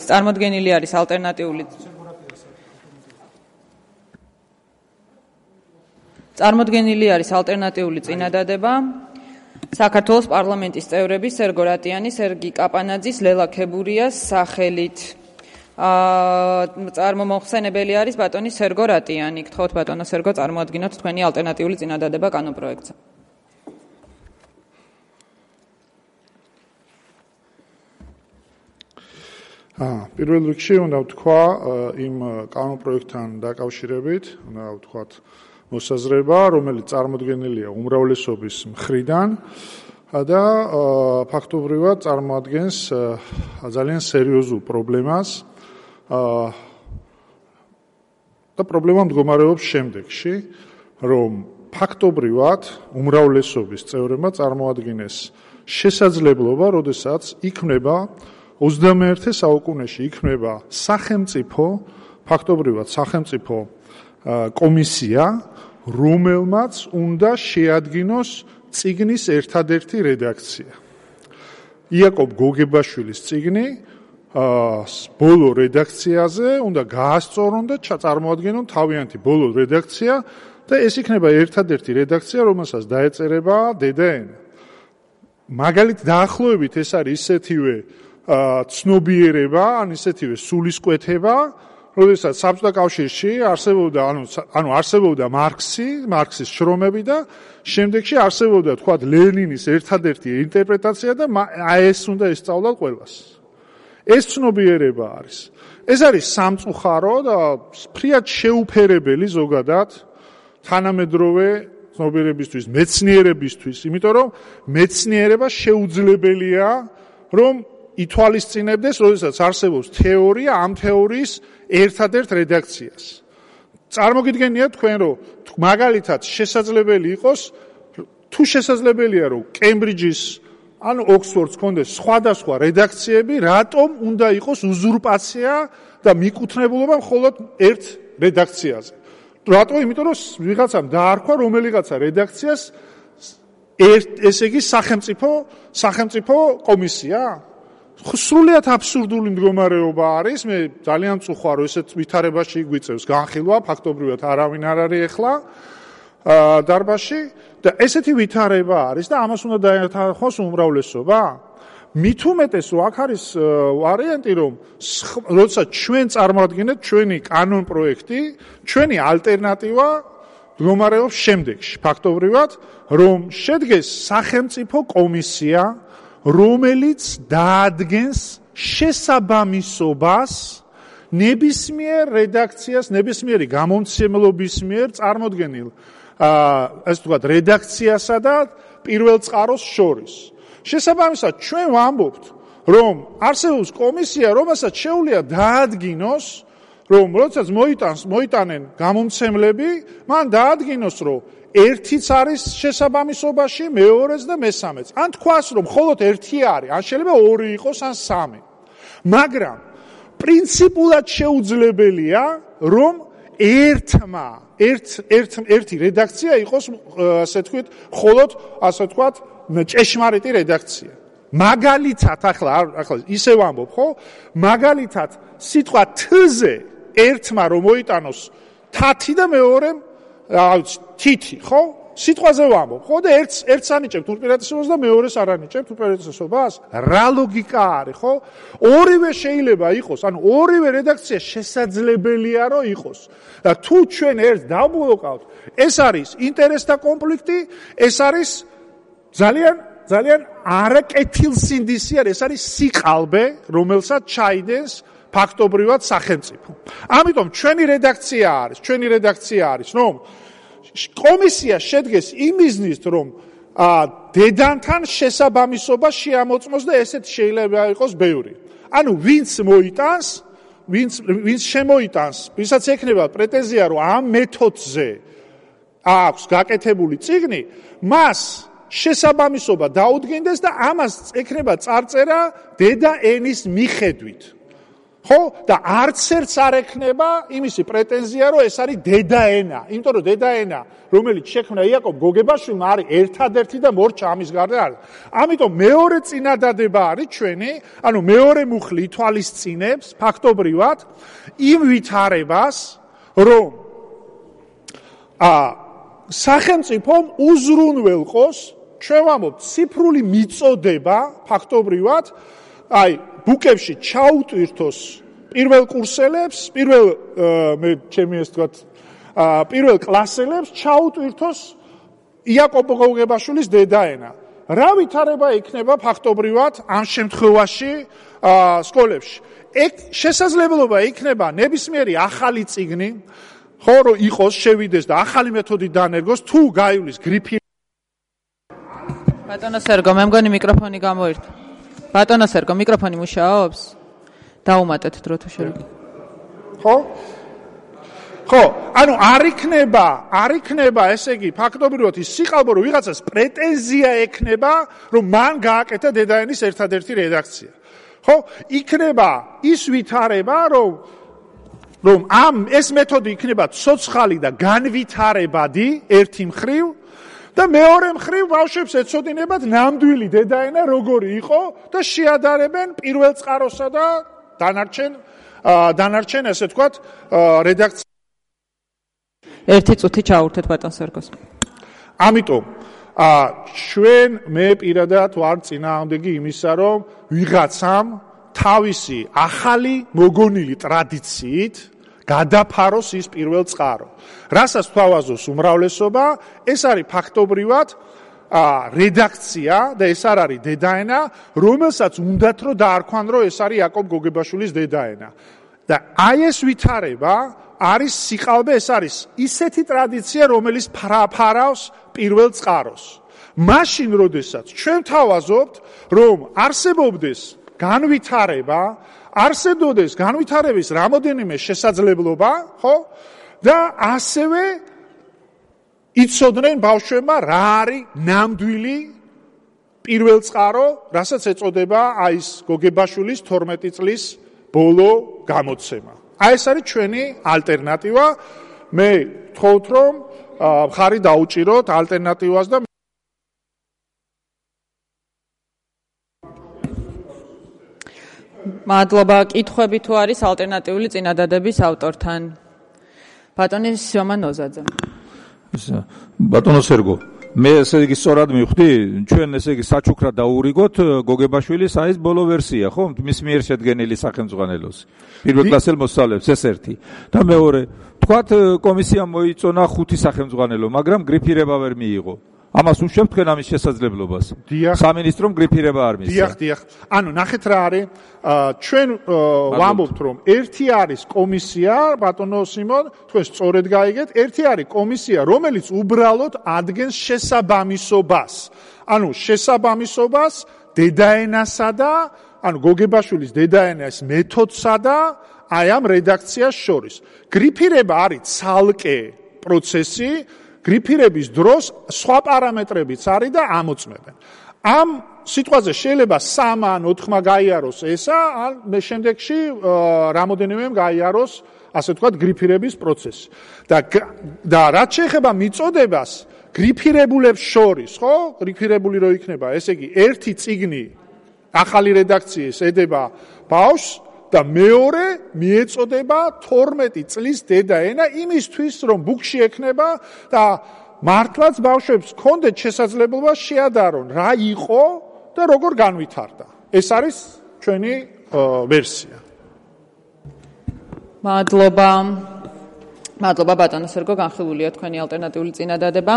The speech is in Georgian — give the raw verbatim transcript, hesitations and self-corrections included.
წარმოდგენილი არის ალტერნატიული წარმოდგენილი არის ალტერნატიული წინადადება საქართველოს პარლამენტის წევრების სერგო რატიანის, სერგი კაპანაძის, ლელა ქებურიას სახელით. წარმომოხსენებელი არის ბატონი სერგო რატიანი. გთხოვთ ბატონო სერგო წარმოადგინოთ თქვენი ალტერნატიული წინადადება კანონპროექტზე. პირველ რიგში უნდა ვთქვა იმ კანონპროექტთან დაკავშირებით, უნდა ვთქვათ მოსაზრება, რომელიც წარმოდგენილია უმრავლესობის მხრიდან და ფაქტობრივად წარმოადგენს ძალიან სერიოზულ პრობლემას და პრობლემა მდგომარეობს შემდეგში, რომ ფაქტობრივად უმრავლესობის წევრებმა წარმოადგინეს შესაძლებლობა, როდესაც იქმნება ოცდამეერთე საუკუნეში იქნება სახელმწიფო, ფაქტობრივად სახელმწიფო კომისია, რომელმაც უნდა შეადგინოს წიგნის ერთადერთი რედაქცია. იაკობ გოგებაშვილის წიგნი ბოლო რედაქციაზე უნდა გაასწორონ და წარმოადგინონ თავიანთი ბოლო რედაქცია და ეს იქნება ერთადერთი რედაქცია, რომელსაც დაეწერება დედა ენა. მაგალითად დაახლოებით ეს არის ისეთივე ცნობიერება, ან ისეთივე სულისკვეთება, როდესაც საბჭოთა კავშირში არსებობდა, ანუ ანუ არსებობდა მარქსი, მარქსის შრომები და შემდეგში არსებობდა, თქვათ, ლენინის ერთადერთი ინტერპრეტაცია და ეს უნდა ესწავლათ ყველას. ეს ცნობიერება არის. ეს არის სამწუხარო და ფრიად შეუფერებელი ზოგადად თანამედროვე ცნობიერებისთვის, მეცნიერებისთვის, იმიტომ რომ მეცნიერება შეუძლებელია, რომ ითვალისწინებდეს, როდესაც არსებობს თეორია, ამ თეორიის ერთადერთ რედაქციას. წარმოგიდგენიათ თქვენ, რომ მაგალითად შესაძლებელი იყოს, თუ შესაძლებელია, რომ კემბრიჯის ან ოქსფორდს კონდეს სხვადასხვა რედაქციები, რატომ უნდა იყოს უზურპაცია და მიკუთვნებულობა მხოლოდ ერთ რედაქციაზე. რატო? იმიტომ რომ ვიღაცამ დაარქვა რომელიღაცა რედაქციას ერთ ესე იგი სახელმწიფო სახელმწიფო კომისია? სრულიად აბსურდული მდგომარეობა არის, მე ძალიან მწუხარ, რომ ესეთ ვითარებაში გვიწევს განხილვა, ფაქტობრივად არავინ არ არის ახლა დარბაზში და ესეთი ვითარება არის და ამას უნდა დაეთანხმოს უმრავლესობა. მით უმეტეს, რომ აქ არის ვარიანტი, რომ როდესაც ჩვენ წარმოადგენთ ჩვენი კანონ პროექტი, ჩვენი ალტერნატივა მდგომარეობს შემდეგში, ფაქტობრივად, რომ შედგეს სახელმწიფო კომისია, რომელიც დაადგენს შესაბამისობას ნებისმიერ რედაქციას, ნებისმიერი გამომცემლობის მიერ წარმოდგენილ ასე ვთქვათ, რედაქციასა და პირველ წყაროს შორის. შესაბამისად, ჩვენ ვამბობთ, რომ არსებობს კომისია, რომელსაც შეუძლია დაადგინოს, რომ როდესაც მოიტანს, მოიტანენ გამომცემლები, მან დაადგინოს, რომ ერთიც არის შესაბამისობაში, მეორეც და მესამეც. ან თქვას, რომ მხოლოდ ერთი არის, ან შეიძლება ორი იყოს, ან სამი. მაგრამ პრინციპულად შეუძლებელია, რომ ერთმა, ერთ ერთ ერთი რედაქცია იყოს, ასე ვთქვით, მხოლოდ, ასე ვთქვათ, ჭეშმარიტი რედაქცია. მაგალითად, ახლა ახლა ისე ვამბობ, ხო? მაგალითად, სიტყვა თ-ზე ერთმა რომ მოიტანოს თათი და მეორემ თითი, ხო? სიტყვაზე ვამბობ, ხო? და ერთს ერთს ანიჭებთ უპირატესობას და მეორეს არ ანიჭებთ უპირატესობას? რა ლოგიკა არის, ხო? ორივე შეიძლება იყოს, ანუ ორივე რედაქცია შესაძლებელია რომ იყოს. და თუ ჩვენ ერთ დავბლოკავთ, ეს არის ინტერესთა კონფლიქტი, ეს არის ძალიან ძალიან არაკეთილსინდისი არის, ეს არის სიყალბე, რომელსაც ჩაიდენს ფაქტობრივად სახელმწიფო. ამიტომ ჩვენი რედაქცია არის, ჩვენი რედაქცია არის, რომ კომისია შედგეს იმიზნით, რომ დედანთან შესაბამისობა შეამოწმოს და ესეთ შეიძლება იყოს ბევრი. ანუ ვინც მოიტანს, ვინც ვინც შემოიტანს, ვისაც ექნება პრეტენზია, რომ ამ მეთოდზე აქვს გაკეთებული წიგნი, მას შესაბამისობა დაუდგინდეს და ამას ექნება წარწერა დედა ენის მიხედვით. ხო და არც ერთს არ ექნება იმისი პრეტენზია რომ ეს არის დედაენა, იმიტომ რომ დედაენა რომელიც შექმნა იაკობ გოგებაშვილმა არის ერთადერთი და მორჩა ამის გარდა არის. ამიტომ მეორე წინადადება არის ჩვენი, ანუ მეორე მუხლი ითვალისწინებს ფაქტობრივად იმ ვითარებას, რომ ა სახელმწიფომ უზრუნველყოს, ჩვენ ვამბობთ, ციფრული მიწოდება ფაქტობრივად, აი ბუკებში ჩაუტვირთოს პირველ კურსელებს, პირველ მე ჩემი ეს თქვა პირველ კლასელებს ჩაუტვირთოს იაკობ გოგებაშვილის დედაენა. რა ვითარება იქნება ფაქტობრივად ამ შემთხვევაში სკოლებში? ეგ შესაძლებლობა იქნება ნებისმიერი ახალი წიგნი, ხო რომ იყოს, შევიდეს და ახალი მეთოდი დაანერგოს, თუ გაივლის გრიფი. ბატონო სერგო, მე მგონი მიკროფონი გამოირთვა. ბატონო სერგო, მიკროფონი მუშაობს? დაუმატეთ დრო თუ შეიძლება. ხო? ხო, ანუ არ იქნება, არ იქნება, ესე იგი, ფაქტობრივად ის სიყალბო, რომ ვიღაცას პრეტენზია ექნება, რომ მან გააკეთა დედაენის ერთადერთი რედაქცია. ხო, იქნება ის ვითარება, რომ რომ ამ ეს მეთოდი იქნება ცოცხალი და განვითარებადი ერთი მხრივ და მეორე მხრივ ბავშვებს ეცოდინებათ ნამდვილი დედაენა როგორი იყო და შეადარებენ პირველ წყაროსა და დანარჩენ დანარჩენ ესე ვთქვათ რედაქცია. ერთი წუთი ჩაურთეთ ბატონ სერგოს. ამიტომ ჩვენ მე პირადად ვარ წინააღმდეგი იმისა, რომ ვიღაცამ თავისი ახალი მოგონილი ტრადიციით გადაფაროს ის პირველ წყარო. რასაც თავაზობს უმრავლესობა, ეს არის ფაქტობრივად რედაქცია და ეს არ არის დედაენა, რომელსაც უნდათ რომ დაარქვან, რომ ეს არის იაკობ გოგებაშვილის დედაენა. და აი ეს ვითარება არის სიყალბე, ეს არის ისეთი ტრადიცია, რომელიც ფარავს პირველ წყაროს. მაშინ, როდესაც ჩვენ თავაზობთ, რომ არსებობდეს განვითარება, არსებობდეს განვითარების რამოდენიმე შესაძლებლობა, ხო? და ასევე იცოდნენ ბავშვებმა რა არის ნამდვილი პირველ წყარო, რასაც ეწოდება აი ეს გოგებაშვილის თორმეტი წლის ბოლო გამოცემა. აი ეს არის ჩვენი ალტერნატივა. მე ვთხოვთ, რომ მხარი დაუჭიროთ ალტერნატივას და მადლობა. კითხვები თუ არის ალტერნატიული წინადადების ავტორთან? ბატონი სიომა ნოზაძე. ბატონო სერგო, მე ესე იგი სწორად მივხვდი, ჩვენ ესე იგი საჩუქრად დაურიგოთ გოგებაშვილის აი ეს ბოლო ვერსია, ხო? მის მიერ შედგენილი სახელმძღვანელოს. პირველ კლასელ მოსწავლეებს ეს ერთი. და მეორე, თქვათ კომისიამ მოიწონა ხუთი სახელმძღვანელო, მაგრამ გრიფირება ვერ მიიღო. ამას უშევთ თქვენ ამის შესაძლებლობას. სამინისტრომ გრიფირება არ მისცა. დიახ, დიახ. ანუ ნახეთ რა არის, ჩვენ ვამბობთ, რომ ერთი არის კომისია, ბატონო სიმონ, თქვენ სწორედ გაიგეთ, ერთი არის კომისია, რომელიც უბრალოდ ადგენს შესაბამისობას. ანუ შესაბამისობას დედაენასა და ანუ გოგებაშვილის დედაენას მეთოდსა და აი ამ რედაქციას შორის. გრიფირება არის ცალკე პროცესი. გრიფირების დროს სხვა პარამეტრებიც არის და ამოწმებენ. ამ სიტყვაზე შეიძლება სამ ან ოთხმა გაიაროს ესა, ან შემდეგში რამოდენიმე გაიაროს, ასე ვთქვათ, გრიფირების პროცესი. და და რაც შეეხება მიწოდებას, გრიფირებულებს შორის, ხო? გრიფირებული რო იქნება, ესე იგი, ერთი წიგნი ახალი რედაქციის ედება ბავშვს და მეორე მიეწოდება თორმეტი წლის დედაენა იმისთვის, რომ ბუკში ექნება და მართლაც ბავშვებს ჰქონდეთ შესაძლებლობა შეადარონ რა იყო და როგორ განვითარდა. ეს არის ჩვენი ვერსია. მადლობა. მადლობა ბატონო სერგო, განხილულია თქვენი ალტერნატიული წინადადება.